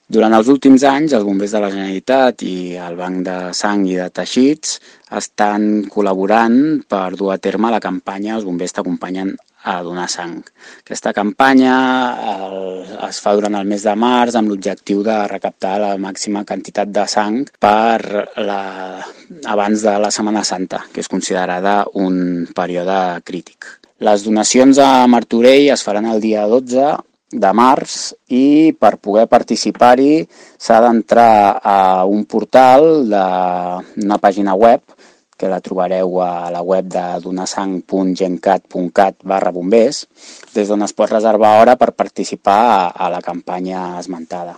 Durant els últims anys, els bombers de la Generalitat i el Banc de Sang i de Teixits estan col·laborant per dur a terme la campanya Els bombers t'acompanyen a donar sang. Aquesta campanya es fa durant el mes de març amb l'objectiu de recaptar la màxima quantitat de sang abans de la Setmana Santa, que és considerada un període crític. Les donacions a Martorell es faran el dia 12 de març i per poder participar-hi s'ha d'entrar a un portal d'una pàgina web que la trobareu a la web de donasang.gencat.cat/bombers, des d'on es pot reservar hora per participar a la campanya esmentada.